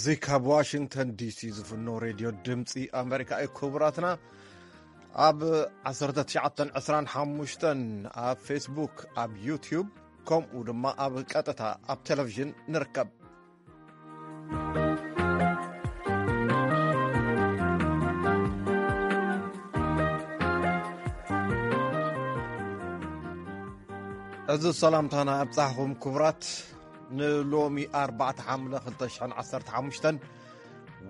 እዚ ካብ ዋሽንግተን ዲሲ ዝፍኖ ሬድዮ ድምፂ ኣሜሪካ እዩ። ክቡራትና፣ ኣብ ዓሰርተ ትሽዓተ ዕስራን ሓሙሽተን ኣብ ፌስቡክ፣ ኣብ ዩቲዩብ፣ ከምኡ ድማ ኣብ ቀጥታ ኣብ ቴሌቪዥን ንርከብ። እዚ ሰላምታና ኣብጻሕኹም ክቡራት፣ ንሎሚ ኣርባዕተ ሓምለ ክልተ ሽሕን ዓሰርተ ሓሙሽተን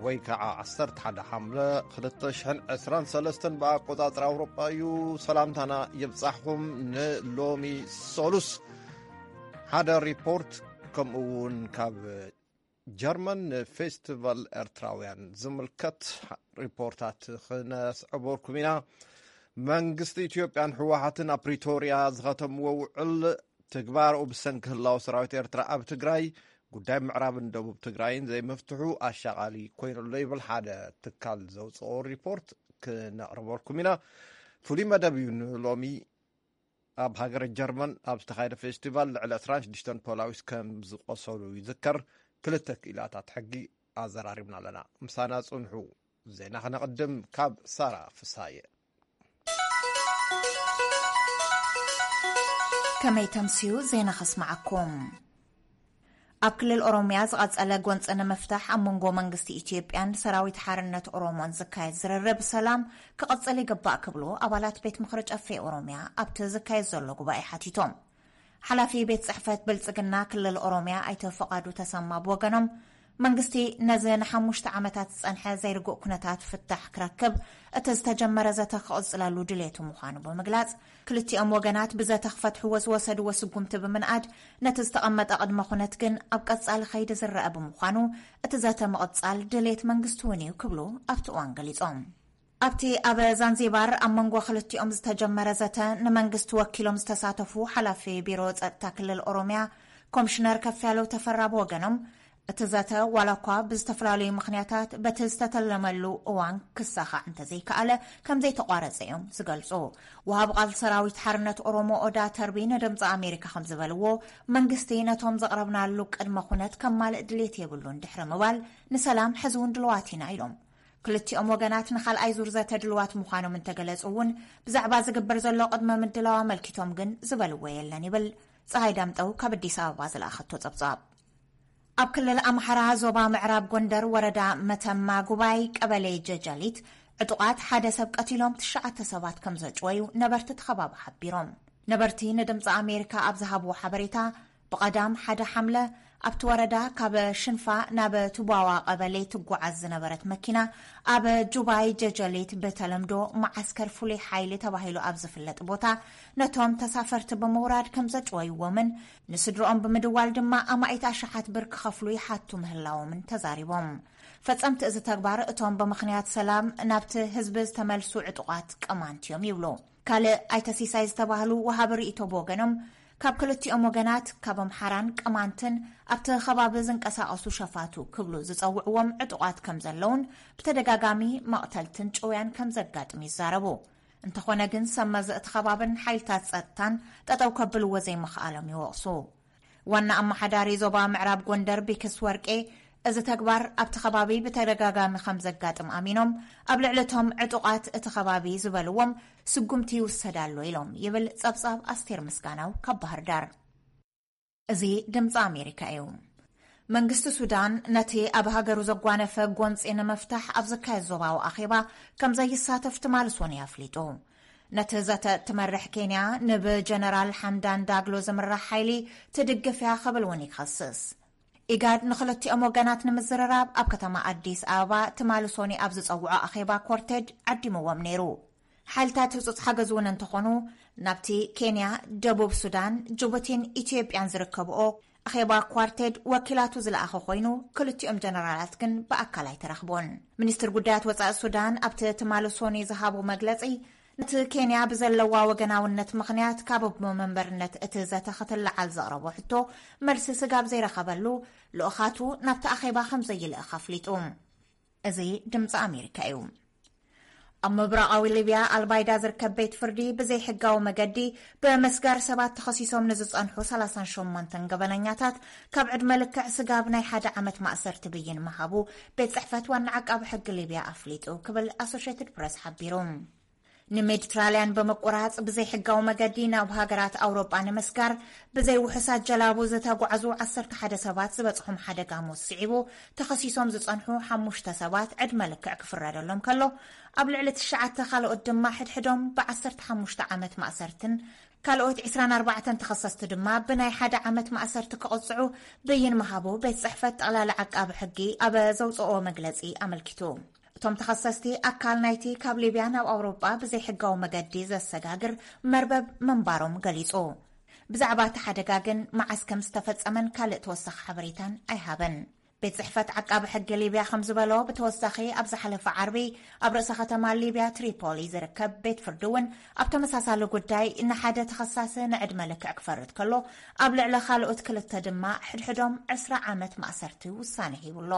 ወይ ከዓ ዓሰርተ ሓደ ሓምለ ክልተ ሽሕን ዕስራን ሰለስተን ብኣቆጻጽራ ኣውሮጳ እዩ። ሰላምታና ይብጻሕኹም። ንሎሚ ሰሉስ ሓደ ሪፖርት፣ ከምኡ እውን ካብ ጀርመን ንፌስቲቫል ኤርትራውያን ዝምልከት ሪፖርታት ክነስዕበልኩም ኢና። መንግስቲ ኢትዮጵያን ህወሓትን ኣብ ፕሪቶርያ ዝኸተምዎ ውዕል ትግባርኡ ብሰንኪ ህላወ ሰራዊት ኤርትራ ኣብ ትግራይ፣ ጉዳይ ምዕራብን ደቡብ ትግራይን ዘይምፍትሑ ኣሻቓሊ ኮይኑሎ ይብል ሓደ ትካል ዘውፅኦ ሪፖርት። ክነቕርበልኩም ኢና። ፍሉይ መደብ እዩ ንሎሚ። ኣብ ሃገረ ጀርመን ኣብ ዝተኻየደ ፌስቲቫል ልዕሊ ዕስራን ሽዱሽተን ፖላዊስ ከም ዝቆሰሉ ይዝከር። ክልተ ክኢላታት ሕጊ ኣዘራሪብና ኣለና። ምሳና ጽንሑ። ዜና ክነቕድም ካብ ሳራ ፍሳየ። ከመይ ተምስዩ ዜና ከስምዓኩም። ኣብ ክልል ኦሮምያ ዝቐጸለ ጎንጺ ንምፍታሕ ኣብ መንጎ መንግስቲ ኢትዮጵያን ሰራዊት ሓርነት ኦሮሞን ዝካየድ ዝርርብ ሰላም ክቕጽል ይግባእ ክብሉ ኣባላት ቤት ምኽሪ ጨፌ ኦሮምያ ኣብቲ ዝካየድ ዘሎ ጉባኤ ሓቲቶም። ሓላፊ ቤት ጽሕፈት ብልጽግና ክልል ኦሮምያ ኣይተ ፍቓዱ ተሰማ ብወገኖም፣ መንግስቲ ነዚ ንሓሙሽተ ዓመታት ዝጸንሐ ዘይርጉእ ኩነታት ፍታሕ ክረክብ እቲ ዝተጀመረ ዘተ ክቕጽለሉ ድሌቱ ምዃኑ ብምግላጽ፣ ክልቲኦም ወገናት ብዘተ ክፈትሕዎ ዝወሰድዎ ስጉምቲ ብምንኣድ፣ ነቲ ዝተቐመጠ ቅድመ ኩነት ግን ኣብ ቀጻሊ ከይዲ ዝረአ ብምዃኑ፣ እቲ ዘተ ምቕጻል ድሌት መንግስቲ እውን እዩ ክብሉ ኣብቲ እዋን ገሊጾም። ኣብቲ ኣብ ዛንዚባር ኣብ መንጎ ክልቲኦም ዝተጀመረ ዘተ ንመንግስቲ ወኪሎም ዝተሳተፉ ሓላፊ ቢሮ ጸጥታ ክልል ኦሮምያ ኮምሽነር ከፍያለው ተፈራ ብወገኖም፣ እቲ ዘተ ዋላ እኳ ብዝተፈላለዩ ምኽንያታት በቲ ዝተተለመሉ እዋን ክሳኻዕ እንተዘይከኣለ ከም ዘይተቋረጸ እዮም ዝገልጹ። ወሃብ ቃል ሰራዊት ሓርነት ኦሮሞ ኦዳ ተርቢ ንድምፂ ኣሜሪካ ከም ዝበልዎ፣ መንግስቲ ነቶም ዘቕረብናሉ ቅድመ ኩነት ከማልእ ድሌት የብሉን ድሕሪ ምባል፣ ንሰላም ሕዚ እውን ድልዋት ኢና ኢሎም። ክልቲኦም ወገናት ንኻልኣይ ዙር ዘተ ድልዋት ምዃኖም እንተገለጹ እውን፣ ብዛዕባ ዝግበር ዘሎ ቅድመ ምድላው ኣመልኪቶም ግን ዝበልዎ የለን ይብል ፀሃይ ዳምጠው ካብ ኣዲስ ኣበባ ዝለኣኸቶ ጸብጻብ። ኣብ ክልል ኣምሓራ ዞባ ምዕራብ ጎንደር ወረዳ መተማ ጉባይ ቀበሌ ጀጃሊት ዕጡቓት ሓደ ሰብ ቀቲሎም ትሽዓተ ሰባት ከም ዘጭወዩ ነበርቲ እቲ ከባቢ ሓቢሮም። ነበርቲ ንድምፂ ኣሜሪካ ኣብ ዝሃብዎ ሓበሬታ፣ ብቐዳም ሓደ ሓምለ ኣብቲ ወረዳ ካብ ሽንፋ ናብ ቱባዋ ቀበሌ ትጓዓዝ ዝነበረት መኪና ኣብ ጁባይ ጀጀሊት ብተለምዶ መዓስከር ፍሉይ ሓይሊ ተባሂሉ ኣብ ዝፍለጥ ቦታ ነቶም ተሳፈርቲ ብምውራድ ከም ዘጭወይዎምን ንስድርኦም ብምድዋል ድማ ኣማኢት ኣሽሓት ብር ክኸፍሉ ይሓቱ ምህላዎምን ተዛሪቦም። ፈጸምቲ እዚ ተግባር እቶም ብምኽንያት ሰላም ናብቲ ህዝቢ ዝተመልሱ ዕጡቓት ቅማንት እዮም ይብሉ። ካልእ ኣይተ ሲሳይ ዝተባህሉ ወሃቢ ርእይቶ ብወገኖም፣ ካብ ክልቲኦም ወገናት ካብ ኣምሓራን ቅማንትን ኣብቲ ከባቢ ዝንቀሳቐሱ ሸፋቱ ክብሉ ዝጸውዕዎም ዕጡቓት ከም ዘለውን ብተደጋጋሚ መቕተልትን ጭውያን ከም ዘጋጥም ይዛረቡ። እንተኾነ ግን ሰብ መዚ እቲ ከባብን ሓይልታት ጸጥታን ጠጠው ከብልዎ ዘይምኽኣሎም ይወቕሱ። ዋና ኣመሓዳሪ ዞባ ምዕራብ ጎንደር ቢክስ ወርቄ፣ እዚ ተግባር ኣብቲ ከባቢ ብተደጋጋሚ ከም ዘጋጥም ኣሚኖም፣ ኣብ ልዕሊ እቶም ዕጡቓት እቲ ከባቢ ዝበልዎም ስጉምቲ ይውሰድ ኣሎ ኢሎም ይብል ጸብጻብ ኣስቴር ምስጋናው ካብ ባህር ዳር። እዚ ድምፂ ኣሜሪካ እዩ። መንግስቲ ሱዳን ነቲ ኣብ ሃገሩ ዘጓነፈ ጎንፂ ንምፍታሕ ኣብ ዝካየድ ዞባዊ ኣኼባ ከም ዘይሳተፍ ትማሊ ሰኑይ ኣፍሊጡ። ነቲ ዘተ እትመርሕ ኬንያ ንብጀነራል ሓምዳን ዳግሎ ዝምራሕ ሓይሊ ትድግፍ እያ ክብል እውን ይኸስስ። ኢጋድ ንክልቲኦም ወገናት ንምዝርራብ ኣብ ከተማ ኣዲስ ኣበባ ትማሊ ሰኑይ ኣብ ዝጸውዖ ኣኼባ ኮርቴድ ዓዲምዎም ነይሩ። ሓይልታት ህጹጽ ሓገዝ እውን እንተኾኑ፣ ናብቲ ኬንያ፣ ደቡብ ሱዳን፣ ጅቡቲን ኢትዮጵያን ዝርከብኦ ኣኼባ ኳርቴድ ወኪላቱ ዝለኣኸ ኮይኑ፣ ክልቲኦም ጀነራላት ግን ብኣካል ኣይተረኽቦን። ሚኒስትር ጉዳያት ወጻኢ ሱዳን ኣብቲ ትማሊ ሰኑይ ዝሃቦ መግለጺ፣ ነቲ ኬንያ ብዘለዋ ወገናውነት ምኽንያት ካብ ኣቦ መንበርነት እቲ ዘተ ክትለዓል ዘቕረቦ ሕቶ መልሲ ስጋብ ዘይረኸበሉ፣ ልኡኻቱ ናብቲ ኣኼባ ከም ዘይልእኽ ኣፍሊጡ። እዚ ድምፂ ኣሜሪካ እዩ። ኣብ ምብራቓዊ ሊብያ ኣልባይዳ ዝርከብ ቤት ፍርዲ ብዘይሕጋዊ መገዲ ብምስጋር ሰባት ተኸሲሶም ንዝጸንሑ ሰላሳን ሸሞንተን ገበነኛታት ካብ ዕድመ ልክዕ ስጋብ ናይ ሓደ ዓመት ማእሰርቲ ብይን ምሃቡ ቤት ጽሕፈት ዋና ዓቃቢ ሕጊ ሊብያ ኣፍሊጡ ክብል ኣሶሽየትድ ፕረስ ሓቢሩ። ንሜዲትራልያን ብምቁራጽ ብዘይሕጋዊ መገዲ ናብ ሃገራት ኣውሮጳ ንምስጋር ብዘይ ውሑሳት ጀላቡ ዝተጓዕዙ ዓሰርተ ሓደ ሰባት ዝበጽሖም ሓደጋ ሞት ስዒቡ ተኸሲሶም ዝጸንሑ ሓሙሽተ ሰባት ዕድመ ልክዕ ክፍረደሎም ከሎ፣ ኣብ ልዕሊ ትሽዓተ ካልኦት ድማ ሕድሕዶም ብ ዓሰርተ ሓሙሽተ ዓመት ማእሰርትን ካልኦት ዕስራን ኣርባዕተን ተኸሰስቲ ድማ ብናይ ሓደ ዓመት ማእሰርቲ ክቕጽዑ ብይን ምሃቡ ቤት ጽሕፈት ጠቕላሊ ዓቃቢ ሕጊ ኣብ ዘውጽኦ መግለጺ ኣመልኪቱ። እቶም ተኸሰስቲ ኣካል ናይቲ ካብ ሊብያ ናብ ኣውሮጳ ብዘይሕጋዊ መገዲ ዘሰጋግር መርበብ ምንባሮም ገሊጹ። ብዛዕባ እቲ ሓደጋ ግን መዓስ ከም ዝተፈጸመን ካልእ ተወሳኺ ሓበሬታን ኣይሃበን። ቤት ጽሕፈት ዓቃቢ ሕጊ ሊብያ ከም ዝበሎ፣ ብተወሳኺ ኣብ ዝሓለፈ ዓርቢ ኣብ ርእሰ ከተማ ሊብያ ትሪፖሊ ዝርከብ ቤት ፍርዲ እውን ኣብ ተመሳሳሊ ጉዳይ ንሓደ ተኸሳሲ ንዕድመ ልክዕ ክፈርድ ከሎ፣ ኣብ ልዕሊ ካልኦት ክልተ ድማ ሕድሕዶም ዕስራ ዓመት ማእሰርቲ ውሳነ ሂቡሎ።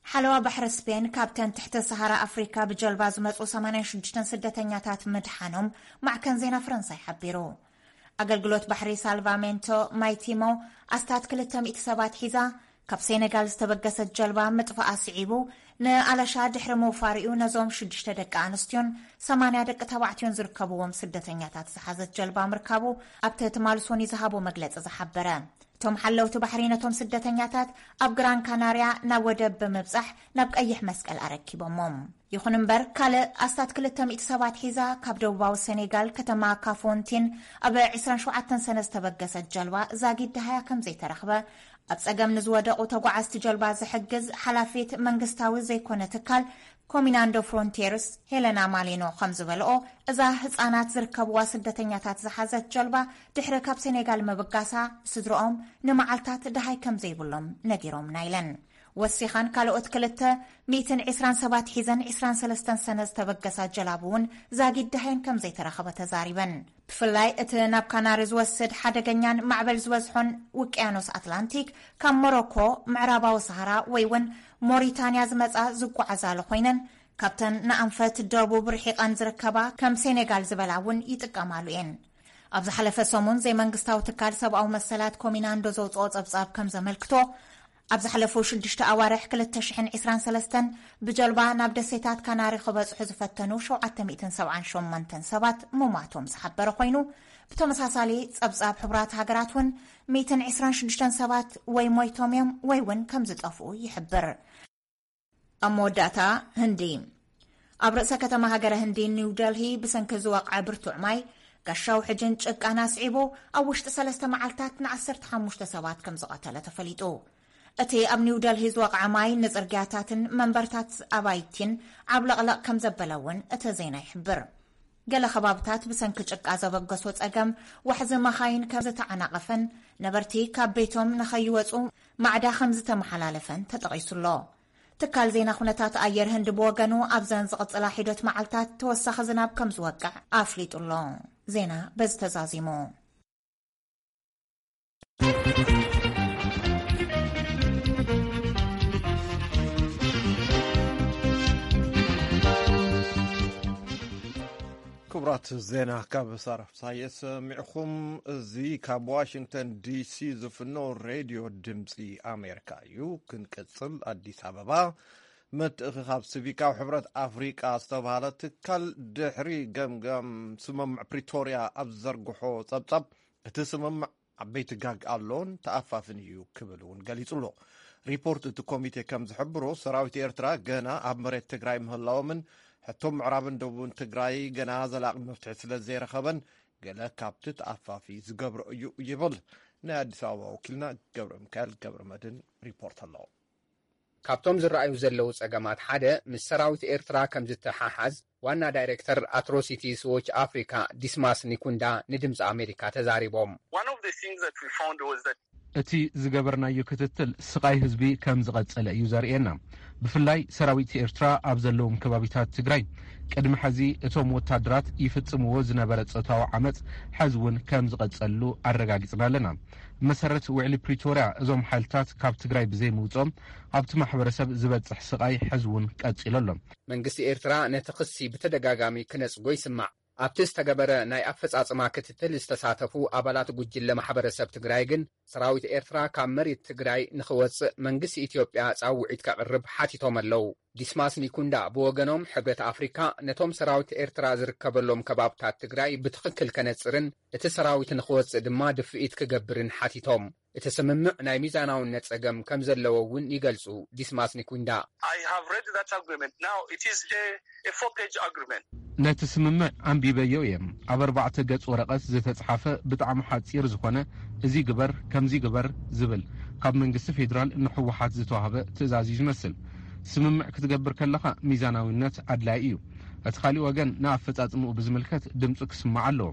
ሓለዋ ባሕሪ ስፔን ካብተን ትሕቲ ሰሃራ ኣፍሪካ ብጀልባ ዝመጹ ሰማንያን ሽዱሽተን ስደተኛታት ምድሓኖም ማዕከን ዜና ፈረንሳይ ሓቢሩ። ኣገልግሎት ባሕሪ ሳልቫሜንቶ ማይቲሞ ኣስታት ክልተ ሚእቲ ሰባት ሒዛ ካብ ሴኔጋል ዝተበገሰት ጀልባ ምጥፋኣ ስዒቡ፣ ንኣለሻ ድሕሪ ምውፋሪኡ ነዞም ሽዱሽተ ደቂ ኣንስትዮን ሰማንያ ደቂ ተባዕትዮን ዝርከብዎም ስደተኛታት ዝሓዘት ጀልባ ምርካቡ ኣብቲ ትማል ሶኒ ዝሃቦ መግለጺ ዝሓበረ። እቶም ሓለውቲ ባሕሪ ነቶም ስደተኛታት ኣብ ግራን ካናርያ ናብ ወደብ ብምብጻሕ ናብ ቀይሕ መስቀል ኣረኪቦሞም። ይኹን እምበር፣ ካልእ ኣስታት ክልተ ሚእቲ ሰባት ሒዛ ካብ ደቡባዊ ሴኔጋል ከተማ ካፎንቲን ኣብ ዕስራን ሸውዓተን ሰነ ዝተበገሰት ጀልባ ዛጊድ ደሃያ ከም ዘይተረኽበ፣ ኣብ ጸገም ንዝወደቑ ተጓዓዝቲ ጀልባ ዝሕግዝ ሓላፊት መንግስታዊ ዘይኮነ ትካል ኮሚናንዶ ፍሮንቲርስ ሄለና ማሊኖ ከም ዝበልኦ፣ እዛ ህጻናት ዝርከብዋ ስደተኛታት ዝሓዘት ጀልባ ድሕሪ ካብ ሴኔጋል ምብጋሳ፣ ስድርኦም ንመዓልታት ደሃይ ከም ዘይብሎም ነጊሮምና ኢለን። ወሲኻን ካልኦት ክልተ ሚእትን ዕስራን ሰባት ሒዘን ዕስራን ሰለስተን ሰነ ዝተበገሳ ጀላቡ እውን ዛጊድ ደሃየን ከም ዘይተረኸበ ተዛሪበን። ብፍላይ እቲ ናብ ካናሪ ዝወስድ ሓደገኛን ማዕበል ዝበዝሖን ውቅያኖስ ኣትላንቲክ ካብ ሞሮኮ፣ ምዕራባዊ ሰሃራ ወይ እውን ሞሪታንያ ዝመጻ ዝጓዓዛሉ ኮይነን፣ ካብተን ንኣንፈት ደቡብ ርሒቐን ዝርከባ ከም ሴኔጋል ዝበላ እውን ይጥቀማሉ እየን። ኣብ ዝሓለፈ ሰሙን ዘይመንግስታዊ ትካል ሰብኣዊ መሰላት ኮሚናንዶ ዘውፅኦ ጸብጻብ ከም ዘመልክቶ፣ ኣብ ዝሓለፉ ሽዱሽተ ኣዋርሕ ክልተ ሽሕን ዕስራን ሰለስተን ብጀልባ ናብ ደሴታት ካናሪ ክበጽሑ ዝፈተኑ ሸውዓተ ሚእትን ሰብዓን ሸሞንተን ሰባት ምሟቶም ዝሓበረ ኮይኑ፣ ብተመሳሳሊ ጸብጻብ ሕቡራት ሃገራት እውን ሚእትን ዕስራን ሽዱሽተን ሰባት ወይ ሞይቶም እዮም ወይ እውን ከም ዝጠፍኡ ይሕብር። ኣብ መወዳእታ፣ ህንዲ። ኣብ ርእሰ ከተማ ሃገረ ህንዲ ኒው ደልሂ ብሰንኪ ዝወቕዐ ብርቱዕ ማይ፣ ጋሻው ሕጅን ጭቃን ኣስዒቡ ኣብ ውሽጢ ሰለስተ መዓልታት ንዓሰርተ ሓሙሽተ ሰባት ከም ዝቐተለ ተፈሊጡ። እቲ ኣብ ኒው ደልሂ ዝወቕዐ ማይ ንጽርግያታትን መንበርታት ኣባይቲን ዓብለቕለቕ ከም ዘበለ እውን እቲ ዜና ይሕብር። ገለ ከባብታት ብሰንኪ ጭቃ ዘበገሶ ጸገም ዋሕዚ መኻይን ከም ዝተዓናቐፈን ነበርቲ ካብ ቤቶም ንኸይወጹ ማዕዳ ከም ዝተመሓላለፈን ተጠቒሱ ኣሎ። ትካል ዜና ኩነታት ኣየር ህንዲ ብወገኑ ኣብዘን ዝቕጽላ ሒደት መዓልታት ተወሳኺ ዝናብ ከም ዝወቅዕ ኣፍሊጡ ኣሎ። ዜና በዚ ተዛዚሙ። ክቡራት ዜና ካብ ሳራ ፍሳየ ሰሚዕኹም። እዚ ካብ ዋሽንግተን ዲሲ ዝፍኖ ሬድዮ ድምፂ ኣሜሪካ እዩ። ክንቅፅል፣ ኣዲስ ኣበባ ምትእኽኻብ ሲቪካዊ ሕብረት ኣፍሪቃ ዝተባሃለ ትካል ድሕሪ ገምጋም ስምምዕ ፕሪቶርያ ኣብ ዝዘርግሖ ጸብጻብ፣ እቲ ስምምዕ ዓበይቲ ጋግ ኣሎን ተኣፋፍን እዩ ክብል እውን ገሊጹ ኣሎ። ሪፖርት እቲ ኮሚቴ ከም ዝሕብሮ፣ ሰራዊት ኤርትራ ገና ኣብ መሬት ትግራይ ምህላዎምን ሕቶ ምዕራብን ደቡብን ትግራይ ገና ዘላቒ መፍትሒ ስለ ዘይረኸበን፣ ገለ ካብቲ ተኣፋፊ ዝገብሮ እዩ ይብል ናይ ኣዲስ ኣበባ ወኪልና ገብረ ሚካኤል ገብረ መድህን ሪፖርት ኣሎ። ካብቶም ዝረኣዩ ዘለዉ ጸገማት ሓደ ምስ ሰራዊት ኤርትራ ከም ዝተሓሓዝ ዋና ዳይሬክተር ኣትሮሲቲስ ዎች ኣፍሪካ ዲስማስ ኒኩንዳ ንድምፂ ኣሜሪካ ተዛሪቦም። One of the things that we found was that እቲ ዝገበርናዮ ክትትል ስቓይ ህዝቢ ከም ዝቐጸለ እዩ ዘርእየና። ብፍላይ ሰራዊት ኤርትራ ኣብ ዘለዎም ከባቢታት ትግራይ ቅድሚ ሕዚ እቶም ወታደራት ይፍጽምዎ ዝነበረ ጾታዊ ዓመጽ ሕዚ እውን ከም ዝቐጸሉ ኣረጋጊጽና ኣለና። ብመሰረት ውዕሊ ፕሪቶርያ፣ እዞም ሓይልታት ካብ ትግራይ ብዘይምውፅኦም ኣብቲ ማሕበረሰብ ዝበፅሕ ስቓይ ሕዚ እውን ቀፂሉ ኣሎ። መንግስቲ ኤርትራ ነቲ ክሲ ብተደጋጋሚ ክነጽጎ ይስማዕ። ኣብቲ ዝተገበረ ናይ ኣፈጻጽማ ክትትል ዝተሳተፉ ኣባላት ጉጅለ ማሕበረሰብ ትግራይ ግን፣ ሰራዊት ኤርትራ ካብ መሬት ትግራይ ንኽወጽእ መንግስቲ ኢትዮጵያ ጻውዒት ከቕርብ ሓቲቶም ኣለዉ። ዲስማስ ኒኩንዳ ብወገኖም፣ ሕብረት ኣፍሪካ ነቶም ሰራዊት ኤርትራ ዝርከበሎም ከባብታት ትግራይ ብትኽክል ከነጽርን እቲ ሰራዊት ንኽወጽእ ድማ ድፍኢት ክገብርን ሓቲቶም። እቲ ስምምዕ ናይ ሚዛናውነት ጸገም ከም ዘለዎ እውን ይገልጹ ዲስማስ ኒኩንዳ። I have read that agreement. Now, it is a, a four-page agreement. ነቲ ስምምዕ ኣንቢበዮ እየ። ኣብ ኣርባዕተ ገጽ ወረቐት ዝተጽሓፈ ብጣዕሚ ሓጺር ዝኾነ፣ እዚ ግበር፣ ከምዚ ግበር ዝብል፣ ካብ መንግስቲ ፌዴራል ንህወሓት ዝተዋህበ ትእዛዝ እዩ ዝመስል። ስምምዕ ክትገብር ከለኻ ሚዛናዊነት ኣድላዪ እዩ። እቲ ካሊእ ወገን ንኣፈጻጽምኡ ብዝምልከት ድምጹ ክስማዕ ኣለዎ።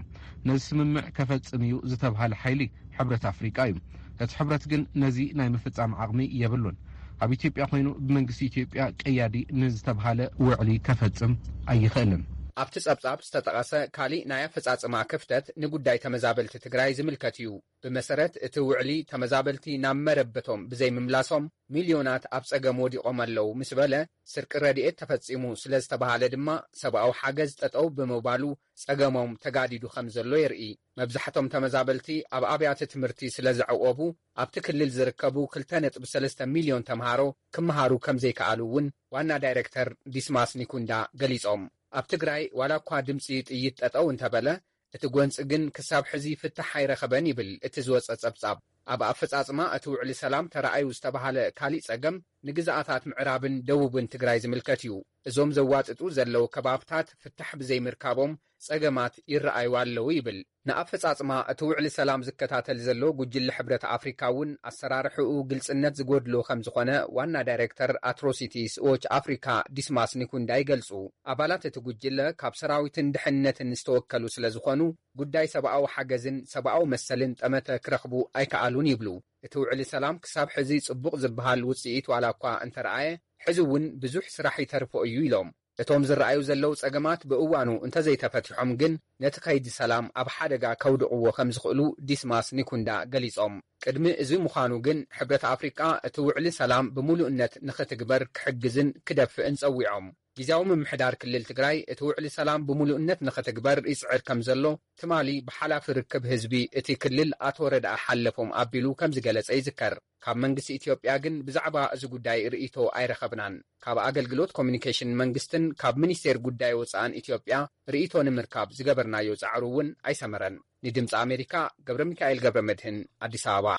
ነዚ ስምምዕ ከፈጽም እዩ ዝተብሃለ ሓይሊ ሕብረት ኣፍሪቃ እዩ። እቲ ሕብረት ግን ነዚ ናይ ምፍጻም ዓቕሚ የብሉን። ኣብ ኢትዮጵያ ኮይኑ ብመንግስቲ ኢትዮጵያ ቀያዲ ንዝተብሃለ ውዕሊ ከፈጽም ኣይኽእልን። ኣብቲ ጸብጻብ ዝተጠቐሰ ካሊእ ናይ ኣፈጻጽማ ክፍተት ንጉዳይ ተመዛበልቲ ትግራይ ዝምልከት እዩ። ብመሰረት እቲ ውዕሊ፣ ተመዛበልቲ ናብ መረበቶም ብዘይምምላሶም ሚልዮናት ኣብ ጸገም ወዲቖም ኣለዉ ምስ በለ፣ ስርቂ ረድኤት ተፈጺሙ ስለ ዝተባሃለ ድማ፣ ሰብኣዊ ሓገዝ ጠጠው ብምባሉ ጸገሞም ተጋዲዱ ከም ዘሎ የርኢ። መብዛሕቶም ተመዛበልቲ ኣብ ኣብያተ ትምህርቲ ስለ ዘዕቆቡ፣ ኣብቲ ክልል ዝርከቡ ክልተ ነጥቢ ሰለስተ ሚልዮን ተምሃሮ ክመሃሩ ከም ዘይከኣሉ እውን ዋና ዳይረክተር ዲስማስ ኒኩንዳ ገሊጾም። ኣብ ትግራይ ዋላ እኳ ድምጺ ጥይት ጠጠው እንተበለ፣ እቲ ጎንጺ ግን ክሳብ ሕዚ ፍታሕ ኣይረኸበን ይብል እቲ ዝወጸ ጸብጻብ። ኣብ ኣፈጻጽማ እቲ ውዕሊ ሰላም ተራእዩ ዝተባሃለ ካሊእ ጸገም፣ ንግዝኣታት ምዕራብን ደቡብን ትግራይ ዝምልከት እዩ። እዞም ዘዋጥጡ ዘለዉ ከባብታት ፍታሕ ብዘይምርካቦም ጸገማት ይረኣዩ ኣለዉ ይብል። ንኣፈጻጽማ እቲ ውዕሊ ሰላም ዝከታተል ዘሎ ጉጅለ ሕብረት ኣፍሪካ እውን፣ ኣሰራርሕኡ ግልጽነት ዝጎድሎ ከም ዝኾነ ዋና ዳይሬክተር ኣትሮሲቲስ ዎች ኣፍሪካ ዲስማስ ኒኩንዳ ይገልጹ። ኣባላት እቲ ጉጅለ ካብ ሰራዊትን ድሕነትን ዝተወከሉ ስለ ዝኾኑ፣ ጉዳይ ሰብኣዊ ሓገዝን ሰብኣዊ መሰልን ጠመተ ክረኽቡ ኣይከኣሉን ይብሉ። እቲ ውዕሊ ሰላም ክሳብ ሕዚ ጽቡቕ ዝበሃል ውጽኢት ዋላ እኳ እንተረኣየ፣ ሕዚ እውን ብዙሕ ስራሕ ይተርፎ እዩ ኢሎም። እቶም ዝረኣዩ ዘለዉ ጸገማት ብእዋኑ እንተዘይተፈቲሖም ግን፣ ነቲ ከይዲ ሰላም ኣብ ሓደጋ ከውድቕዎ ከም ዝኽእሉ ዲስማስ ኒኩንዳ ገሊጾም። ቅድሚ እዚ ምዃኑ ግን፣ ሕብረት ኣፍሪቃ እቲ ውዕሊ ሰላም ብምሉእነት ንኽትግበር ክሕግዝን ክደፍእን ጸዊዖም። ግዝያዊ ምምሕዳር ክልል ትግራይ እቲ ውዕሊ ሰላም ብምሉእነት ንኽትግበር ይጽዕር ከም ዘሎ፣ ትማሊ ብሓላፊ ርክብ ህዝቢ እቲ ክልል ኣቶ ረድኣ ሓለፎም ኣቢሉ ከም ዝገለጸ ይዝከር። ካብ መንግስቲ ኢትዮጵያ ግን ብዛዕባ እዚ ጉዳይ ርእይቶ ኣይረኸብናን። ካብ ኣገልግሎት ኮሚኒኬሽን መንግስትን ካብ ሚኒስቴር ጉዳይ ወጻእን ኢትዮጵያ ርእይቶ ንምርካብ ዝገበርናዮ ጻዕሩ እውን ኣይሰመረን። ንድምፂ ኣሜሪካ፣ ገብረ ሚካኤል ገብረ መድህን፣ ኣዲስ ኣበባ።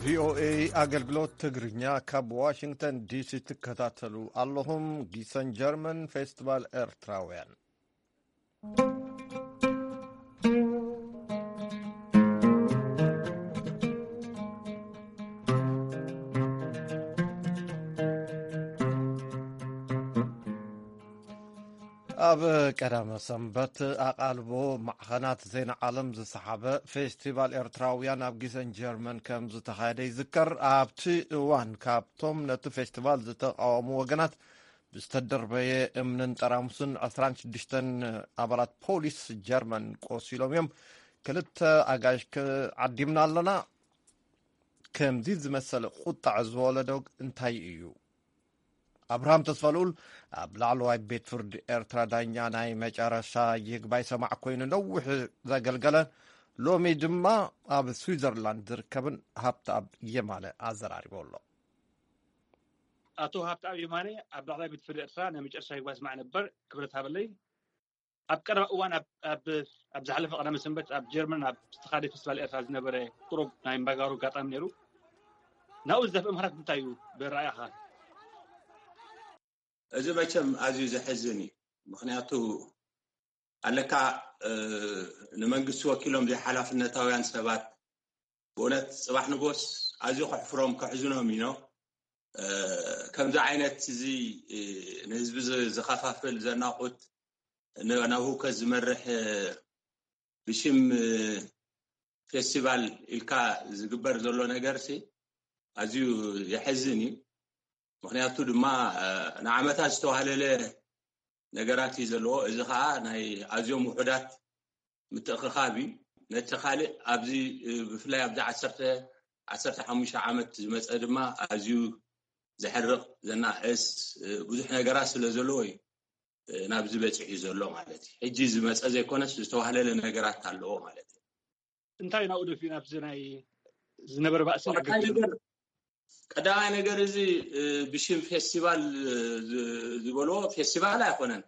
ቪኦኤ ኣገልግሎት ትግርኛ ካብ ዋሽንግተን ዲሲ ትከታተሉ ኣለኹም። ጊሰን ጀርመን ፌስቲቫል ኤርትራውያን። ኣብ ቀዳመ ሰንበት ኣቓልቦ ማዕኸናት ዜና ዓለም ዝሰሓበ ፌስቲቫል ኤርትራውያን ኣብ ጊሰን ጀርመን ከም ዝተኻየደ ይዝከር። ኣብቲ እዋን ካብቶም ነቲ ፌስቲቫል ዝተቓወሙ ወገናት ብዝተደርበየ እምንን ጠራሙስን ዕስራን ሽዱሽተን ኣባላት ፖሊስ ጀርመን ቆሲሎም እዮም። ክልተ ኣጋይሽ ዓዲምና ኣለና። ከምዚ ዝመሰለ ቁጣዕ ዝወለዶ እንታይ እዩ? ኣብርሃም ተስፋልኡል ኣብ ላዕለዋይ ቤት ፍርዲ ኤርትራ ዳኛ ናይ መጨረሻ ይግባይ ሰማዕ ኮይኑ ነዊሕ ዘገልገለ፣ ሎሚ ድማ ኣብ ስዊዘርላንድ ዝርከብን ሃብተኣብ የማነ ኣዘራሪቦ ኣሎ። ኣቶ ሃብተኣብ የማነ ኣብ ላዕለዋይ ቤት ፍርዲ ኤርትራ ናይ መጨረሻ ይግባይ ሰማዕ ነበር። ክብረት ሃበለይ። ኣብ ቀረባ እዋን ኣብ፣ ኣብ፣ ኣብ ዝሓለፈ ቀዳመ ሰንበት ኣብ ጀርመን ኣብ ዝተኻደ ፌስቲቫል ኤርትራ ዝነበረ ቁሩብ ናይ እምባጋሩ ኣጋጣሚ ነይሩ። ናብኡ ዝደፍእ ምኽንያት እንታይ እዩ ብረኣያኻ? እዚ መቸም ኣዝዩ ዘሕዝን እዩ። ምኽንያቱ ኣለካ፣ እ፣ ንመንግስቲ ወኪሎም ዘይሓላፍነታውያን ሰባት ብእውነት ጽባሕ ንጎስ ኣዝዩ ከሕፍሮም ከሕዝኖም እዩ። እ፣ ከምዚ ዓይነት እዚ፣ እ፣ ንህዝቢ ዝ-፣ ዝኸፋፍል ዘናቑት ን-፣ ናብ ህውከት ዝመርሕ፣ እ፣ ብሽም፣ እ፣ ፌስቲቫል ኢልካ ዝግበር ዘሎ ነገርሲ ኣዝዩ የሕዝን እዩ። ምኽንያቱ ድማ፣ እ፣ ንዓመታት ዝተዋህለለ ነገራት እዩ ዘለዎ። እዚ ከዓ ናይ ኣዝዮም ውሑዳት ምትእኽኻብ እዩ። ነቲ ካልእ ኣብዚ ብፍላይ ኣብዚ ዓሰርተ ዓሰርተ ሓሙሽተ ዓመት ዝመፀ ድማ ኣዝዩ ዘሕርቕ ዘናእስ ብዙሕ ነገራት ስለ ዘለዎ እዩ ናብዚ በፂሑ ዘሎ ማለት እዩ። ሕጂ ዝመፀ ዘይኮነስ ዝተዋህለለ ነገራት ኣለዎ ማለት እዩ። እንታይ ናብኡ ደፊኡ ናብዚ ናይ ዝነበረ ባእስን ቀዳማይ ነገር እዚ ብሽም ፌስቲቫል ዝበልዎ ፌስቲቫል ኣይኮነን።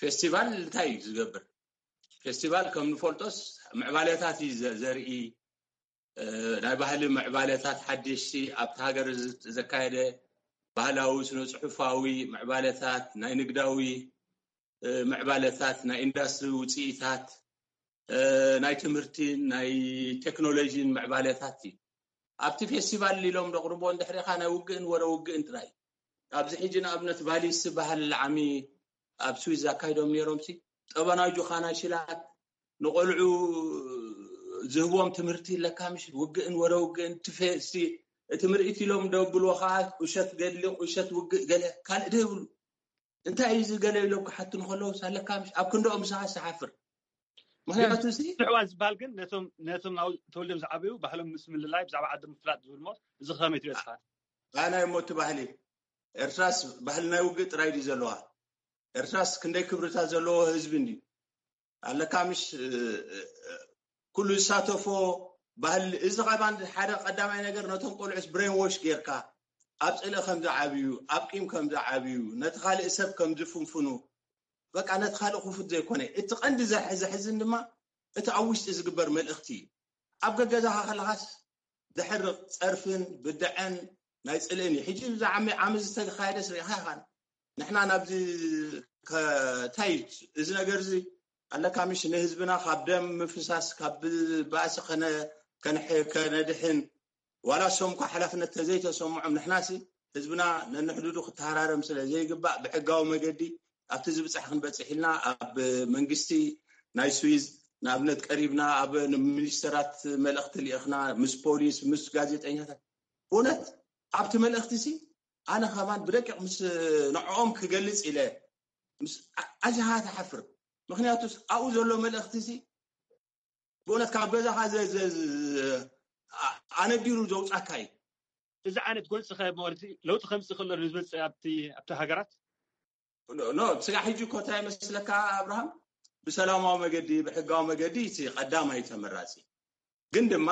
ፌስቲቫል እንታይ እዩ ዝገብር? ፌስቲቫል ከም ንፈልጦስ ምዕባለታት እዩ ዘርኢ፣ ናይ ባህሊ ምዕባለታት ሓደሽቲ ኣብቲ ሃገር ዘካየደ ባህላዊ ስነ ፅሑፋዊ ምዕባለታት፣ ናይ ንግዳዊ ምዕባለታት፣ ናይ ኢንዳስትሪ ውፅኢታት፣ ናይ ትምህርቲን ናይ ቴክኖሎጂን ምዕባለታት እዩ። ኣብቲ ፌስቲቫል ኢሎም ዘቕርቦ እንድሕሪኻ ናይ ውግእን ወረ ውግእን ጥራይ። ኣብዚ ሕጂ ንኣብነት ቫሊስ ዝበሃል ዓሚ ኣብ ስዊዝ ኣካይዶም ነይሮም ሲ ጠበናጁ ካናሽላት ንቆልዑ ዝህቦም ትምህርቲ ኣለካ ምሽ ውግእን ወረ ውግእን እቲ ምርኢት ኢሎም ደብልዎ ከዓ ቁሸት ገድሊ ቁሸት ውግእ ገለ ካልእ ደይብሉ እንታይ እዩ ዝገለ ኢሎም ክሓቱ ንከለዉ ኣለካ ምሽ ኣብ ክንደኦም ምሳኻ ዝሓፍር ምክንያቱ እዚ ሕዋ ዝበሃል ግን ነቶም ነቶም ናብ ተወልዶም ዝዓበዩ ባህሎም ምስ ምልላይ ብዛዕባ ዓዲ ምፍላጥ ዝብል ሞ እዚ ከመይ ትሪኦ ስኻ ኣናይ ሞቲ ባህሊ ኤርትራስ ባህሊ ናይ ውግእ ጥራይ ድዩ ዘለዋ ኤርትራስ ክንደይ ክብርታት ዘለዎ ህዝቢ እንድዩ ኣለካ ምሽ ኩሉ ዝሳተፎ ባህሊ እዚ ኸባን ሓደ ቀዳማይ ነገር ነቶም ቆልዑስ ብሬን ዎሽ ጌርካ ኣብ ፅልኢ ከም ዝዓብዩ ኣብ ቂም ከም ዝዓብዩ ነቲ ካልእ ሰብ ከም ዝፍንፍኑ በቃ ነቲ ካልእ ክፉት ዘይኮነ እቲ ቀንዲ ዘሕዝን ድማ እቲ ኣብ ውሽጢ ዝግበር መልእኽቲ እዩ ኣብ ገገዛኻ ከለኻስ ዘሕርቕ ጸርፍን ብድዐን ናይ ጽልእን እዩ ሕጂ ብዛ ዓሚ ዝተኻየደስ ርኢኻ ኢኻን ንሕና ናብዚ እንታይ እዚ ነገር እዚ ኣለካ ምሽ ንህዝብና ካብ ደም ምፍሳስ ካብ ባእሲ ከነድሕን ዋላ እሶም እኳ ሓላፍነት ተዘይተሰምዖም ንሕናሲ ህዝብና ነንሕዱዱ ክተሃራረም ስለ ዘይግባእ ብሕጋዊ መገዲ ኣብቲ ዝብፃሕ ክንበፅሕ ኢልና ኣብ መንግስቲ ናይ ስዊዝ ንኣብነት ቀሪብና ኣብ ሚኒስተራት መልእክቲ ልእኽና ምስ ፖሊስ ምስ ጋዜጠኛታት ብእውነት ኣብቲ መልእክቲ ሲ ኣነ ከማን ብደቂቕ ምስ ንዕኦም ክገልፅ ኢለ ኣዚኻ ትሓፍር ምክንያቱ ኣብኡ ዘሎ መልእክቲ ሲ ብእውነት ካብ ገዛኻ ኣነዲሩ ዘውፃካ እዩ እዚ ዓይነት ጎንፂ ከ ማለት ለውጢ ከምፅእ ከሎ ንዝመፅእ ኣብቲ ኣብቲ ሃገራት ኖ ስጋ ሕጂ እኮ እንታይ መስለካ ኣብርሃም ብሰላማዊ መገዲ ብሕጋዊ መገዲ እቲ ቀዳማይ ተመራፂ ግን ድማ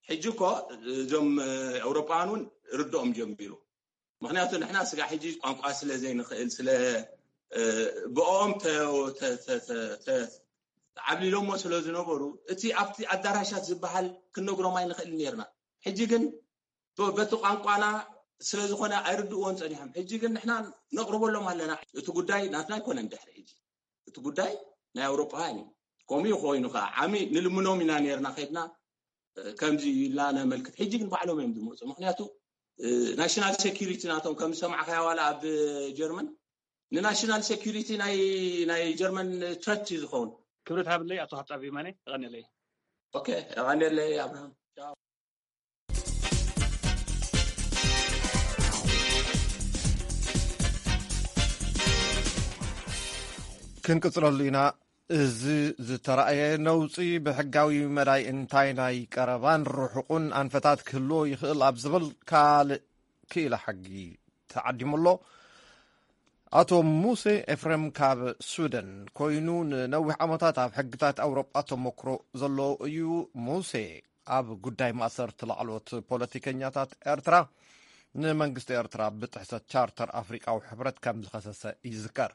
ሕጂ እኮ እዞም ኤውሮጳውያን እውን ርድኦም ጀሚሩ ምክንያቱ ንሕና ስጋ ሕጂ ቋንቋ ስለ ዘይንኽእል ስለ ብኦም ዓብሊሎሞ ስለ ዝነበሩ እቲ ኣብቲ ኣዳራሻት ዝበሃል ክንነግሮም ኣይንኽእል ነርና ሕጂ ግን በቲ ቋንቋና ስለ ዝኾነ ኣይርድእዎን ፀኒሖም ሕጂ ግን ንሕና ነቕርበሎም ኣለና እቲ ጉዳይ ናትና ኣይኮነን ድሕሪ ሕጂ እቲ ጉዳይ ናይ ኣውሮጳውያን እዩ ከምኡ ኮይኑ ከዓ ዓሚ ንልምኖም ኢና ነርና ከድና ከምዚ ኢልና ነመልክት ሕጂ ግን ባዕሎም እዮም ዝመፁ ምክንያቱ ናሽናል ሴኪሪቲ ናቶም ከም ዝሰማዕካያ ዋላ ኣብ ጀርመን ንናሽናል ሴኪሪቲ ናይ ጀርመን ትረት እዩ ዝኸውን ክብረት ሃብለይ ኣቶ ሃብታ ቢማነ ቀኒለይ ቀኒለይ ኣብርሃም ክንቅፅለሉ ኢና እዚ ዝተረኣየ ነውፂ ብሕጋዊ መዳይ እንታይ ናይ ቀረባን ርሑቕን ኣንፈታት ክህልዎ ይኽእል ኣብ ዝብል ካልእ ክኢላ ሕጊ ተዓዲሙ ኣሎ ኣቶ ሙሴ ኤፍሬም ካብ ስዊደን ኮይኑ ንነዊሕ ዓመታት ኣብ ሕግታት ኣውሮጳ ተመክሮ ዘለዎ እዩ ሙሴ ኣብ ጉዳይ ማእሰርቲ ላዕለዎት ፖለቲከኛታት ኤርትራ ንመንግስቲ ኤርትራ ብጥሕሰት ቻርተር ኣፍሪቃዊ ሕብረት ከም ዝኸሰሰ ይዝከር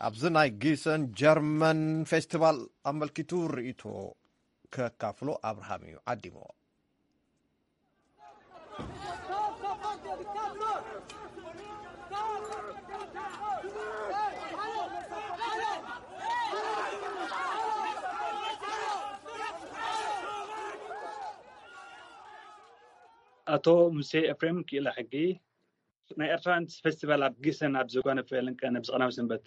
ኣብዚ ናይ ጊሰን ጀርመን ፌስቲቫል ኣመልኪቱ ርእይቶ ከካፍሎ ኣብርሃም እዩ ዓዲምዎ ኣቶ ሙሴ ኤፍሬም ክኢላ ሕጊ ናይ ኤርትራውያን ፌስቲቫል ኣብ ጊሰን ኣብ ዘጓነፈ ለንቀ ነብዚ ቀዳም ሰንበት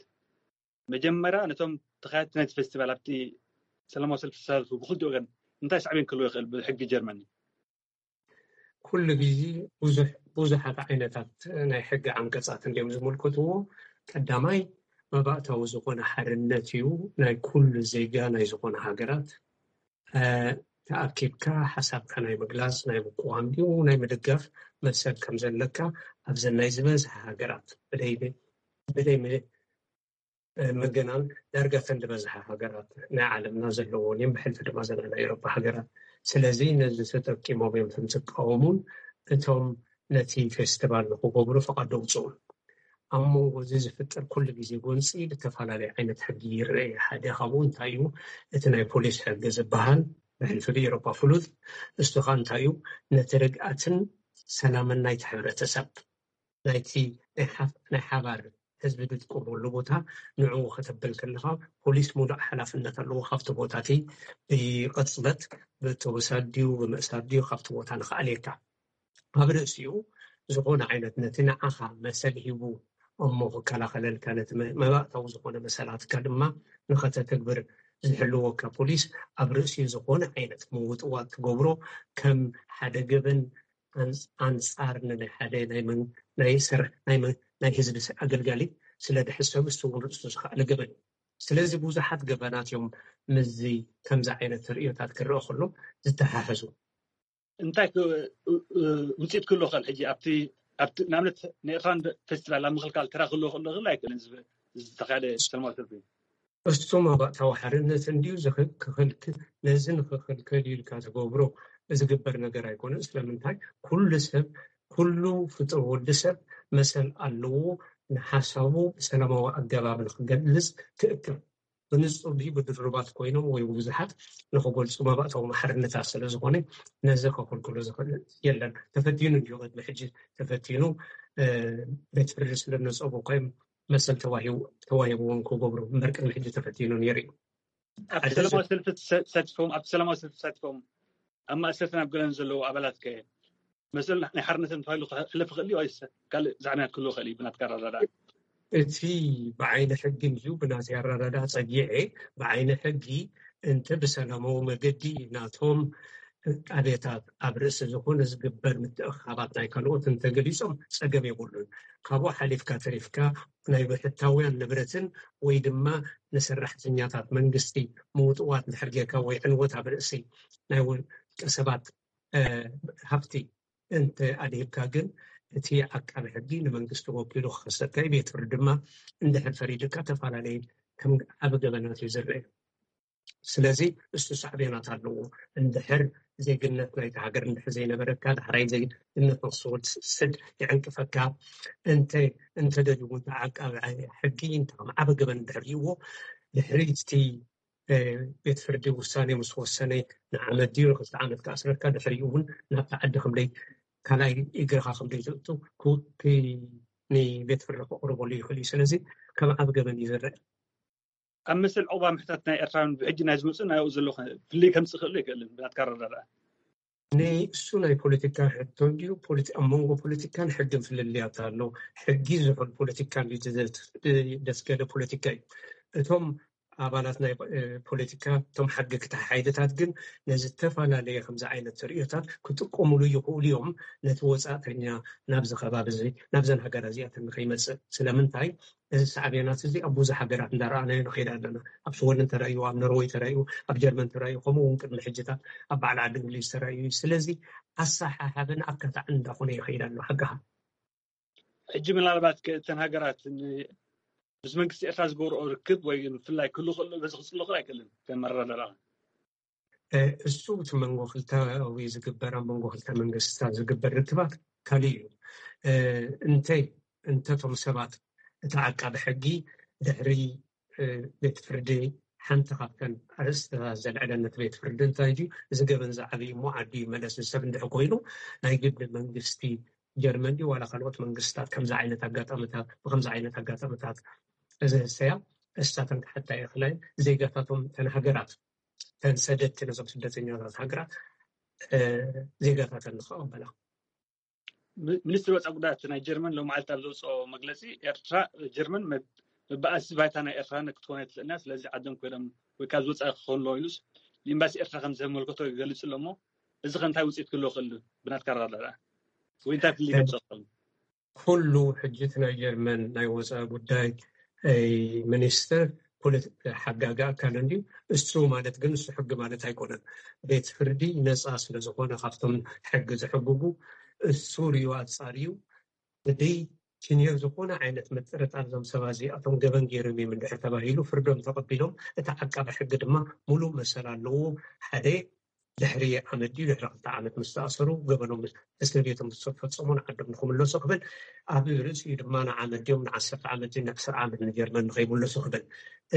መጀመርያ ነቶም ተኻየድቲ ናይቲ ፌስቲቫል ኣብቲ ሰላማዊ ሰልፊ ዝተሳተፉ ብክልቲ ወገን እንታይ ሳዕቤን ክህልዎ ይኽእል ብሕጊ ጀርመን ኩሉ ግዜ ብዙሕ ብዙሓት ዓይነታት ናይ ሕጊ ዓንቀፃት እንዲዮም ዝምልከትዎ ቀዳማይ መባእታዊ ዝኾነ ሓርነት እዩ። ናይ ኩሉ ዜጋ ናይ ዝኾነ ሃገራት ተኣኪብካ ሓሳብካ ናይ ምግላፅ፣ ናይ ምቅዋም ድዩ ናይ ምድጋፍ መሰል ከም ዘለካ ኣብዘን ናይ ዝበዝሐ ሃገራት ብደይ ብደይ ምግናን ዳርጋ ተን ዝበዝሐ ሃገራት ናይ ዓለምና ዘለዎን እዮም። ብሕልፊ ድማ ዘና ናይ ኤሮፓ ሃገራት። ስለዚ ነዚ ተጠቂሞም እዮም ከም ዝቃወሙን እቶም ነቲ ፌስቲቫል ንክገብሩ ፈቃድ ደውፅኡ። ኣብ መንጎ እዚ ዝፍጠር ኩሉ ግዜ ጎንፂ ብተፈላለየ ዓይነት ሕጊ ይረአ። ሓደ ካብኡ እንታይ እዩ? እቲ ናይ ፖሊስ ሕጊ ዝበሃል ብሕልፊ ብኤሮፓ ፍሉጥ። እሱ ከዓ እንታይ እዩ? ነቲ ርግኣትን ሰላምን ናይቲ ሕብረተሰብ ናይቲ ናይ ሓባር ህዝቢ ዝጥቀመሉ ቦታ ንዕኡ ከተበል ከለካ ፖሊስ ሙሉእ ሓላፍነት ኣለዎ። ካብቲ ቦታ እቲ ብቅፅበት ብተወሳድ ድዩ ብምእሳር ድዩ ካብቲ ቦታ ንክኣልየካ ኣብ ርእሲኡ ዝኾነ ዓይነት ነቲ ንዓኻ መሰል ሂቡ እሞ ክከላኸለልካ ነቲ መባእታዊ ዝኾነ መሰላትካ ድማ ንኸተተግብር ዝሕልወካ ፖሊስ ኣብ ርእሲኡ ዝኾነ ዓይነት ምውጥዋጥ ትገብሮ ከም ሓደ ገበን ኣንፃር ንናይ ሓደ ናይ ህዝቢ ኣገልጋሊ ስለ ድሕሰብ ዝስውር እሱ ዝኸኣለ ገበን እዩ። ስለዚ ብዙሓት ገበናት እዮም ምስዚ ከምዚ ዓይነት ርእዮታት ክረአ ከሎ ዝተሓሕዙ። እንታይ ውፅኢት ክህልዎ ክእል? ሕጂ ኣብቲ ኣብቲ ንኣብነት ንኤርትራን ፌስቲቫል ኣብ ምክልካል ተራ ክህልዎ ክእል ዶ ክእል ኣይክእልን? ዝተካየደ ሰላማዊ ሰልፊ እሱ መባእታዊ ሓርነት እንድዩ ክኽልክል። ነዚ ንክኽልክል ኢልካ ትገብሮ ዝግበር ነገር ኣይኮነን። ስለምንታይ? ኩሉ ሰብ ኩሉ ፍጡር ወዲ ሰብ መሰል ኣለዎ። ንሓሳቡ ብሰላማዊ ኣገባብ ንክገልፅ ክእክብ ብንፁር ድዩ ብድርባት ኮይኖም ወይ ብዙሓት ንክገልፁ መባእታዊ ማሕርነታት ስለ ዝኾነ ነዚ ከክልክሎ ዝኽእል የለን። ተፈቲኑ እንዲዩ ቅድሚ ሕጂ ተፈቲኑ ቤት ፍርዲ ስለ ነፀቡ ኮይም መሰል ተዋሂብዎም ክገብሩ እምበር ቅድሚ ሕጂ ተፈቲኑ ነይሩ እዩ። ኣብቲ ሰላማዊ ሰልፊ ተሳቲፎም ኣብቲ ሰላማዊ ሰልፊ ተሳቲፎም ኣብ ማእሰርትን ኣብ ገለን ዘለዉ ኣባላት ከ መሰል ናይ ሓርነትን ተባሂሉ ክሕለፍ ይኽእል እዩ ወይስ ካልእ ዛዕባያት ክህልዎ ይኽእል እዩ ብናትካ ኣረዳድኣ? እቲ ብዓይኒ ሕጊ እዩ ብናተይ ኣረዳድኣ ፀጊዐ ብዓይኒ ሕጊ እንተ ብሰላማዊ መገዲ ናቶም ዕቃቤታት ኣብ ርእሲ ዝኾነ ዝግበር ምትእኽኻባት ናይ ካልኦት እንተገሊፆም ፀገም የብሉን። ካብኡ ሓሊፍካ ተሪፍካ ናይ ብሕታውያን ንብረትን ወይ ድማ ንሰራሕተኛታት መንግስቲ ምውጥዋት እንድሕር ጌርካ ወይ ዕንወት ኣብ ርእሲ ናይ ውልቀ ሰባት ሃፍቲ እንተ ኣድሂብካ ግን እቲ ዓቃቢ ሕጊ ንመንግስቲ ወኪሉ ክኸሰካ እዩ። ቤት ፍርዲ ድማ እንድሕር ፈሪድካ ተፈላለየ ከም ዓቢ ገበናት እዩ ዝረአ። ስለዚ እሱ ሳዕቤናት ኣለዎ። እንድሕር ዜግነት ናይቲ ሃገር እንድሕር ዘይነበረካ ዳሕራይ ዜግነት ንክትወስድ ይዕንቅፈካ። እንተ እንተደልዩ እውን ዓቃቢ ሕጊ እንተ ከም ዓቢ ገበን እንድሕር ርእይዎ ድሕሪ እቲ ቤት ፍርዲ ውሳኔ ምስ ወሰነ ንዓመት ድዩ ንክልተ ዓመት ክኣስረካ ድሕሪኡ እውን ናብቲ ዓዲ ከምደይ ካልኣይ እግርኻ ከምደይ ዘእቱ ክውቲ ንቤት ፍርዲ ክቕርበሉ ይኽእል እዩ። ስለዚ ከም ዓቢ ገበን እዩ ዝረአ። ኣብ መሰል ዑቕባ ምሕታት ናይ ኤርትራውያን ብሕጂ ናይ ዝመፁ ናይኡ ዘሎ ፍልይ ከምፅእ ክእሉ ኣይክእልን ብናትካ ኣረዳድኣ? ንእሱ ናይ ፖለቲካ ሕቶ እንድዩ። ኣብ መንጎ ፖለቲካን ሕግን ፍልልያት ኣሎ። ሕጊ ዝሑል ፖለቲካ እንድዩ ደስገለ ፖለቲካ እዩ። እቶም ኣባላት ናይ ፖለቲካ እቶም ሓገግቲ ሓይልታት ግን ነዚ ዝተፈላለየ ከምዚ ዓይነት ርእዮታት ክጥቀሙሉ ይኽእሉ እዮም። ነቲ ወፃእተኛ ናብዚ ከባቢ እዚ ናብዘን ሃገራት እዚኣተን ንከይመፅእ ስለምንታይ እዚ ሳዕቤናት እዚ ኣብ ብዙሕ ሃገራት እንዳረኣናዮ ንኸይድ ኣለና። ኣብ ሽወደን ተራእዩ፣ ኣብ ኖርወይ ተራእዩ፣ ኣብ ጀርመን ተራእዩ፣ ከምኡ እውን ቅድሚ ሕጅታት ኣብ በዓል ዓዲ እንግሊዝ ተራእዩ እዩ። ስለዚ ኣሰሓሓብን ኣካታዕን እንዳኾነ ይኸይድ ኣሎ። ሓጋኻ ሕጂ ምናልባት እተን ሃገራት ምስ መንግስቲ ኤርትራ ዝገብርኦ ርክብ ወይ ብፍላይ ክህሉ ክእሉ በዚ ክፅሎ ክእል ኣይክእልን ከም መረዳዳኣ እሱ እቲ መንጎ ክልተ ወይ ዝግበር ኣብ መንጎ ክልተ መንግስታት ዝግበር ርክባት ካልእ እዩ። እንተይ እንተቶም ሰባት እቲ ዓቃቢ ሕጊ ድሕሪ ቤት ፍርዲ ሓንቲ ካብተን ኣርእስታት ዘልዕለን ነቲ ቤት ፍርዲ እንታይ ድዩ እዚ ገበን ዝዓብይ እሞ ዓዲ ይመለስ ሰብ እንድሕ ኮይኑ ናይ ግዲ መንግስቲ ጀርመን ድዩ ዋላ ካልኦት መንግስታት ከምዚ ዓይነት ኣጋጣሚታት ብከምዚ ዓይነት ኣጋጣሚታት እዚ ህሰያ እሳተን ክሓታ ይኽእላ ዜጋታቶም ተን ሃገራት ተን ሰደድቲ ነዞም ስደተኛታት ሃገራት ዜጋታተን ንክቐበላ ሚኒስትሪ ወፃኢ ጉዳያት ናይ ጀርመን ሎማዓልቲ ኣብ ዘውፅኦ መግለፂ ኤርትራ ጀርመን መበኣሲ ባይታ ናይ ኤርትራ ክትኮነ ትኽእልና ስለዚ ዓዶም ኮይኖም ወይ ካብ ዝወፃኢ ክኾን ኣለዎ ኢሉስ ንኤምባሲ ኤርትራ ከም ዘመልከቶ ይገልፅ ኣሎ እሞ እዚ ከ እንታይ ውፅኢት ክህልዎ ክእል ብናትካ ኣረዳድኣ ወይ እንታይ ፍልይ ከምፅእ ክእል? ኩሉ ሕጂ እቲ ናይ ጀርመን ናይ ወፃኢ ጉዳይ ሚኒስትር ፖለቲ- ሓጋጊ ኣካል እንድዩ። እሱ ማለት ግን እሱ ሕጊ ማለት ኣይኮነን። ቤት ፍርዲ ነፃ ስለዝኾነ ካብቶም ሕጊ ዝሕግጉ እሱ ሪዩ ኣፃርዩ ብደይ ኪንዮ ዝኾነ ዓይነት ምጥርጣር እዞም ሰባት እዚኣቶም ገበን ገይሮም እዮም እንድሕር ተባሂሉ ፍርዶም ተቐቢሎም እቲ ዓቃቢ ሕጊ ድማ ሙሉእ መሰል ኣለዎ። ሓደ ድሕሪ ዓመት ድዩ ድሕሪ ክልተ ዓመት ምስ ተኣሰሩ ገበኖም እስር ቤቶም ምስ ፈፀሙ ንዓዶም ንክምለሱ ክብል ኣብ ርእሲኡ ድማ ንዓመት ድዮም ንዓሰርተ ዓመት ድዩ ንዕስራ ዓመት ንጀርመን ንከይምለሱ ክብል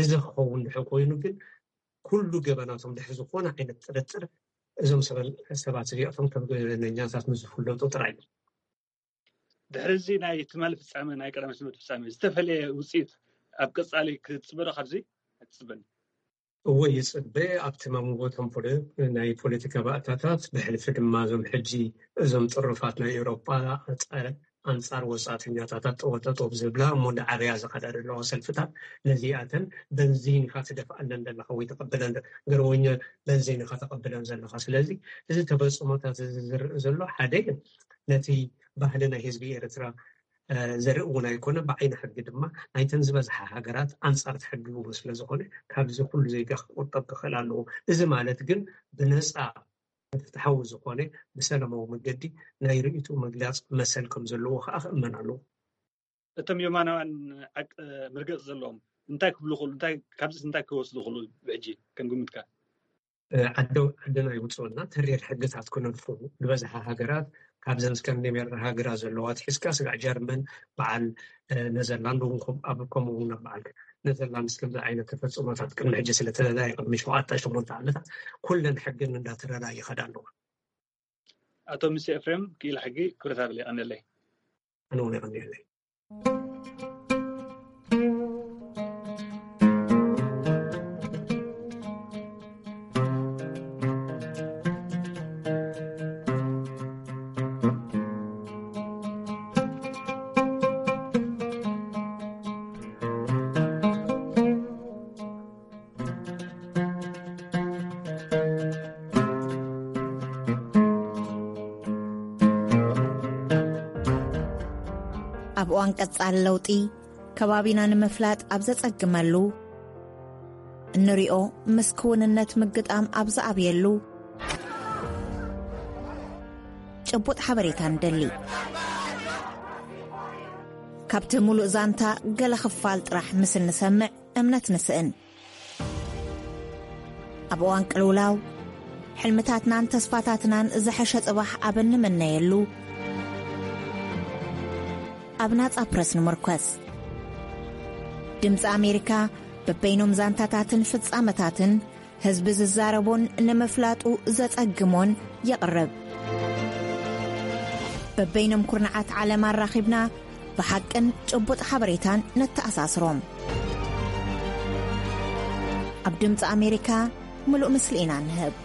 እዚ ክኸውን ድሕር ኮይኑ ግን ኩሉ ገበናቶም ድሕሪ ዝኾነ ዓይነት ጥርጥር እዞም ሰበል- ሰባት እዚኣቶም ከም ገበነኛታት ምስ ዝፍለጡ ጥራይ እዩ። ድሕሪ እዚ ናይ ትማሊ ፍፃመ ናይ ቀዳማይ ሰንበት ፍፃመ ዝተፈለየ ውፅኢት ኣብ ቀፃሊ ክትፅበ ዶ ካብዚ ኣይትፅበን? እወ ይፅበ ኣብቲ መንጎቶም ፖለ- ናይ ፖለቲካ ባእታታት ብሕልፊ ድማ እዞም ሕጂ እዞም ጥሩፋት ናይ ኤውሮጳ ኣንፃር ወፃእተኛታት ጠወጠጠው ዝብላ እሞ እንዳዓበያ ዝኸዳ ዘለዋ ሰልፍታት ነዚኣተን በንዚን ኢኻ ትደፍኣለን ዘለኻ ወይ ተቐብለን ገርወኛ በንዚን ኢኻ ተቐብለን ዘለኻ ስለዚ እዚ ተፈፅሞታት እዚ ዝርኢ ዘሎ ሓደ ነቲ ባህሊ ናይ ህዝቢ ኤርትራ ዘርኢ እውን ኣይኮነ ብዓይኒ ሕጊ ድማ ናይተን ዝበዝሓ ሃገራት ኣንፃር ትሕግግዎ ስለዝኾነ ካብዚ ኩሉ ዜጋ ክቁጠብ ክኽእል ኣለዎ እዚ ማለት ግን ብነፃ ፍትሓዊ ዝኾነ ብሰላማዊ መገዲ ናይ ርእይትኡ ምግላፅ መሰል ከም ዘለዎ ከዓ ክእመን ኣለዎ። እቶም የማናውያን መርገፂ ዘለዎም እንታይ ክብሉ ይኽእሉ? ካብዚስ እንታይ ክወስዱ ይኽእሉ? ብሕጂ ከም ግምትካ ዓደና ይውፅኡና ተሪር ሕግታት ክነድፉ ዝበዝሓ ሃገራት ካብዘን ስካንዲኔቭያን ሃገራት ዘለዋ ኣትሒዝካ ስጋዕ ጀርመን በዓል ነዘርላንድ እውን ኣብ ከምኡ እውን ኣብ በዓል ነዘርላንድስ ከምዚ ዓይነት ተፈፅሞታት ቅድሚ ሕጂ ስለተለለየ ቅድሚ ሸውዓተ ሸሞንተ ዓመታት ኩለን ሕግን እንዳተረዳ ይኸዳ ኣለዋ። ኣቶ ምሴ ኤፍሬም ክኢላ ሕጊ ክብረት ይሃበለይ የቐንየለይ። ኣነ እውን የቐንየለይ። ኣብ እዋን ቀጻሊ ለውጢ ከባቢና ንምፍላጥ ኣብ ዘጸግመሉ፣ እንሪኦ ምስ ክውንነት ምግጣም ኣብ ዝኣብየሉ፣ ጭቡጥ ሓበሬታ ንደሊ። ካብቲ ሙሉእ ዛንታ ገለ ክፋል ጥራሕ ምስ እንሰምዕ እምነት ንስእን። ኣብ እዋን ቅልውላው፣ ሕልምታትናን ተስፋታትናን ዝሐሸ ጽባሕ ኣብ እንምነየሉ፣ ኣብ ናጻ ፕረስ ንምርኮስ። ድምጺ ኣሜሪካ በበይኖም ዛንታታትን ፍጻመታትን ህዝቢ ዝዛረቦን ንምፍላጡ ዘጸግሞን የቕርብ። በበይኖም ኩርናዓት ዓለም ኣራኺብና ብሓቅን ጭቡጥ ሓበሬታን ነተኣሳስሮም። ኣብ ድምፂ ኣሜሪካ ምሉእ ምስሊ ኢና ንህብ።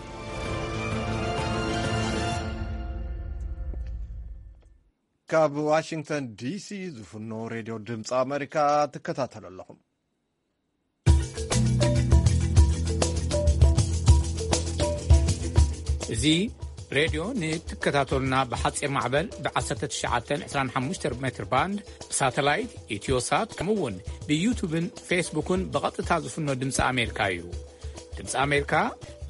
ካብ ዋሽንግተን ዲሲ ዝፍኖ ሬድዮ ድምፂ ኣሜሪካ ትከታተሉ ኣለኹም። እዚ ሬድዮ ንትከታተሉና ብሓፂር ማዕበል ብ1925 ሜትር ባንድ ብሳተላይት ኢትዮሳት ከምኡ እውን ብዩቱብን ፌስቡክን ብቐጥታ ዝፍኖ ድምፂ ኣሜሪካ እዩ። ድምፂ ኣሜሪካ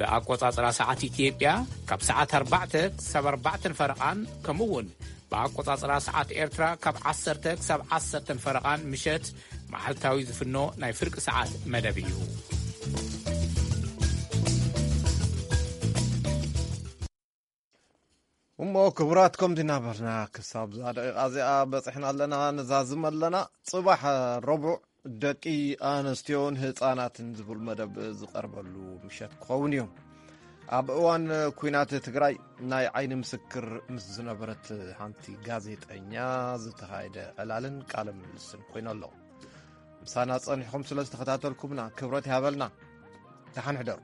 ብኣቆፃፅራ ሰዓት ኢትዮጵያ ካብ ሰዓት ኣርባዕተ ክሳብ ኣርባዕተን ፈረቓን ከምኡ እውን ብኣቆፃፅራ ሰዓት ኤርትራ ካብ ዓሰርተ ክሳብ ዓሰርተን ፈረቓን ምሸት መዓልታዊ ዝፍኖ ናይ ፍርቂ ሰዓት መደብ እዩ። እሞ ክቡራት ከምዚ እናበልና ክሳብ እዛ ደቂቃ እዚኣ በፂሕና ኣለና። ንዛዝም ኣለና። ፅባሕ ረቡዕ ደቂ ኣንስትዮን ህፃናትን ዝብል መደብ ዝቐርበሉ ምሸት ክኸውን እዩ። ኣብ እዋን ኩናት ትግራይ ናይ ዓይኒ ምስክር ምስ ዝነበረት ሓንቲ ጋዜጠኛ ዝተኻየደ ዕላልን ቃለ ምልልስን ኮይኑ ኣሎ። ምሳና ጸኒሕኹም ስለ ዝተኸታተልኩምና ክብረት ይሃበልና። ደሓን ሕደሩ።